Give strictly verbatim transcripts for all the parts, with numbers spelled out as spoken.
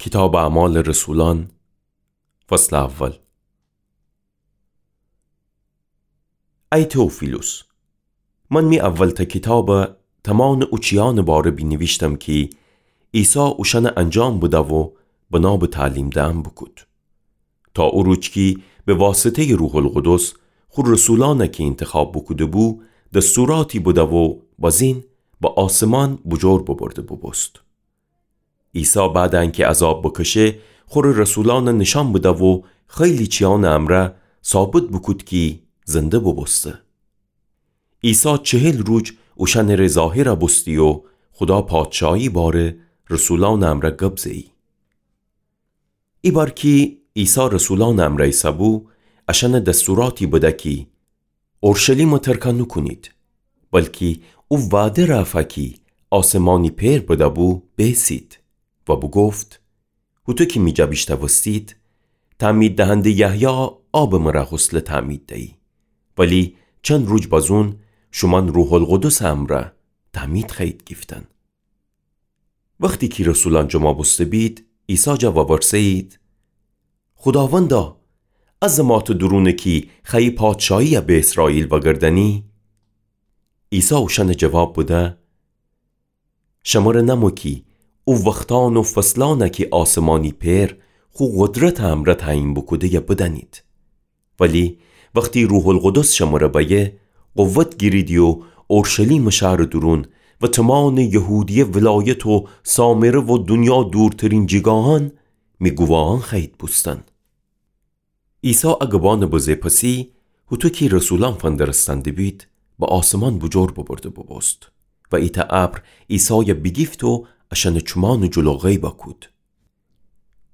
کیتابٚ اعمالٚ رسولأن، فصلٚ اول. ای تئوفیلوس، من می اولتأ کیتاب تمأنٚ او چیأنٚ باره بینیویشتم کی عیسی اوشأن انجام بدأ و بنا به تعلیم دئن بوکود، تا او روج کی به واسطه‌یٚ روح‌القدس خو رسولأن کی اینتخاب بوکوده‌بو، دستوراتی بدأ و بازین به آسمان بوجور ببرده بوبوست. عیسی بعدٚ انکی عذاب بکشه، خوره رسولأن نیشأن بدأ و خیلی چیأنٚ امرأ ثابت بوکود کی زنده بوبوسته. عیسی چهل روج اوشأنٚره ظاهر بوستی و خودا پادشاهی باره رسولأنٚ امرأ گب زئی. ایبار کی عیسی رسولأنٚ امرأ ایسه‌بو، اشأن دستوراتی بده کی اورشلیم ترک نوکونید، بلکی او وعده رأفا کی آسمانی پئر بده‌بو بیسید و بوگفت: هوطو کی می جا بیشتوستید، تعمید دهنده یحیی آبٚ مرأ غسل تعمید دیی، ولی چند روج بازون شومأن روح‌القدسٚ امرأ تعمید خوأیید گیفتن. وختی کی رسولأن جمع بوسته بید، عیسی جا وورسه‌یید: خوداوندا، ا زماتٚ دورون کی خوأیی پادشاهی به اسرائیل وأگردأنی؟ عیسی اوشأن جواب بده: شمره نمو کی او وختأن و فصلأن کی آسمانی پئر خو قدرتٚ امرأ تعیین بوکوده بدأنید. ولی وختی روح‌القدس شمره بأیه، قوت گیریدی و اورشلیمٚ شهرٚ دورون و تمأنٚ یهودیه ولایت و سامره و دونیا دورترین جیگاهأن می گوواهأن خوأیید بوستن. عیسی ا گبأنٚ بزه پسی، هوطو کی رسولأن فندرستن دبید، به آسمان بوجور ببرده بوبوست و ایتأ ابر عیسای بیگیفت و اشأنٚ چومأنٚ جلو غیب کود.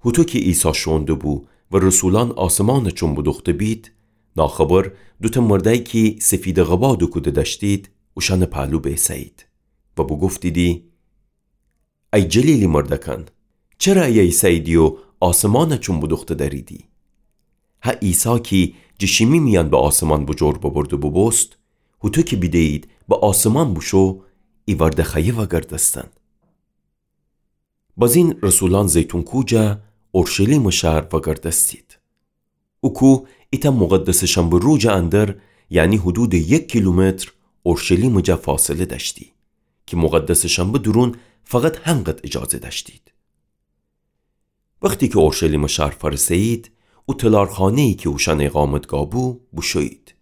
هوطو کی عیسی شوئون دبو و رسولأن آسمان چوم بودوخته بید، ناخبر دوتأ مردأیی کی سفیدٚ قبا دوکوده دأشتید، اوشأنٚ پهلو بیسه‌یید و بوگفتیدی: ای جلیلی مردأکأن، چره ایه ایسه‌ییدی و آسمان چوم بودوخته دأریدی؟ هه عیسی کی جٚه شیمی میأن به آسمان بوجور ببرده بوبوست، هوطو کی بیده‌یید به آسمان بوشو، ایوأرده خوأیه وأگردستن. بازین رسولأن زیتون کوه جا اورشلیمٚ شهر وأگردستید. او کوه ایتأ مقدسٚ شنبه روجٚ اندر، یعنی حدودٚ یک کیلومتر اورشلیمٚ جا فاصله دأشتی، کی مقدسٚ شنبه دورون فقط هنقد اجازه دأشتید. وختی کی اورشلیمٚ شهر فأرسه‌یید، او تلارخانه‌یی کی اوشأن اقامتگاه بو، بوشویید.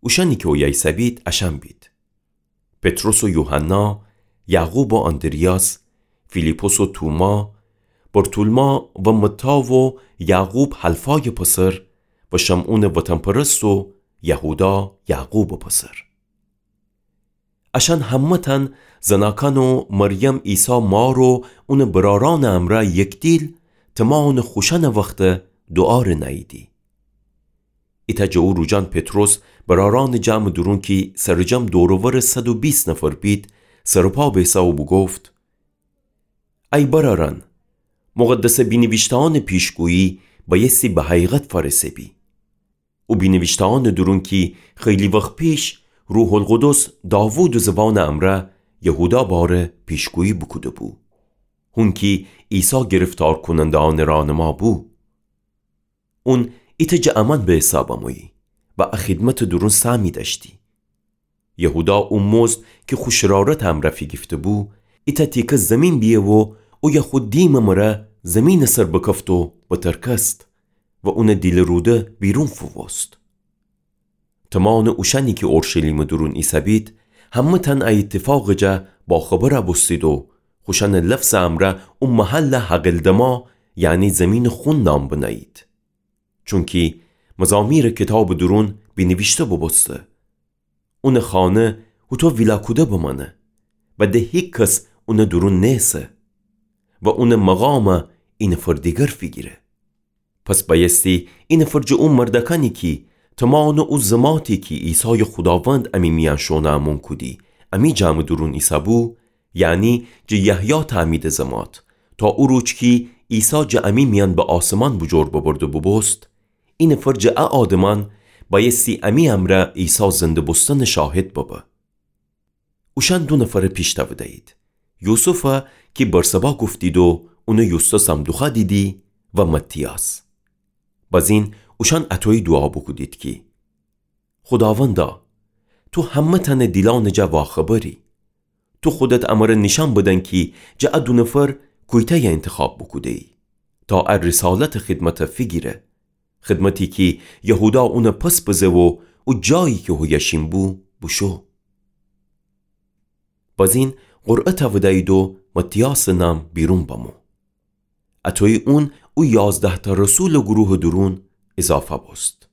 اوشأنی کی اویه ایسه‌بید، اشأن بید: پطرس و یوحنا، یعقوب و آندریاس، فیلیپس و توما، برتولما و متی و یعقوب حلفایٚ پسر و شمعونٚ وطن‌پرست و یهودا یعقوبٚ پسر. اشأن همه‌تأن زناکأن و مریم عیسی مار و اونٚ برأرأنٚ امرأ یکدیل تمأنٚ خوشأنٚ وخت دوعا ره نأییدی. ایتأ جٚه او روجأن پطرس برأرأنٚ جمعٚ دورون کی سرجم دور و ورٚ صد و بیست نفر بید، سرٚ پا بیسه و بوگفت: ای برأرأن، مقدسٚ بینیویشته‌أنٚ پیشگویی بأیستی به حقیقت فأرسه بی. او بینیویشته‌أنٚ دورون کی خیلی وخت پیش روح‌القدس داوودٚ زبانٚ امرأ یهودا باره پیشگویی بوکوده‌بو، هون کی عیسی گرفتارکوننده‌أنٚ راهنما بو. اون ایتأ جٚه امأن به حساب امویی و ا خدمتٚ دورون سهمی دأشتی. یهودا او مزد کی خو شرارتٚ امرأ فیگیفته‌بو، ایتأ تیکه زیمین بیه و اویه خو دیمٚ مره زیمینٚ سر بکفت و بترکست و اونٚ دیلٚ روده بیرون فووست. تمأنٚ اوشأنی کی اورشلیمٚ دورون ایسه‌بید، همه‌تأن ا ایتفاقٚ جا باخبر بوستید و خوشأنٚ لفظٚ امرأ او محل حقلدما، یعنی زیمینٚ خون نام بنه‌یید. چونکی مزامیرٚ کیتابٚ دورون بینیویشته بوبوسته: اونٚ خانه هوطو ویلا کوده بمأنه و د هیکس اونٚ دورون نیسه و اونٚ مقام ای نفر دیگر فیگیره. پس بأیستی ای نفر جٚه او مردأکأنی کی تمأنٚ او زماتی کی عیسایٚ خوداوند امی میأن شوئونٚ امون کودی، امی جمعٚ دورون ایسه‌بو، یعنی جٚه یحیی تعمیدٚ زمات، تا او روج کی عیسی جٚه امی میأن به آسمان بوجور ببرده بوبوست، ای نفر جٚه ا آدمأن بأیستی امی امرأ عیسی زنده بوستنٚ شاهد ببه. اوشأن دو نفر پیش تأوده‌یید. یوسف کی برسبا گفتید و اونٚ یوستاسم دوخوأدیدی و متیاس. بازین اوشأن اطویی دوعا بوکودید کی، خوداوندا، تو همه‌تأنٚ دیلأنٚ جا واخبری. تو خودت امر نیشأن بدن کی جٚه ا دو نفر کویتأی انتخاب بوکوده‌یی تا ا رسالتٚ خدمت فیگیره، خدمتی کی یهودا اون پس بزه و او جایی کی هویه شین بو بوشو. بازین قرعه تأودأیید و متیاسٚ نام بیرون بمو. اطویی اون او یازده‌تأ رسولٚ گروهٚ دورون ایضافه بوست.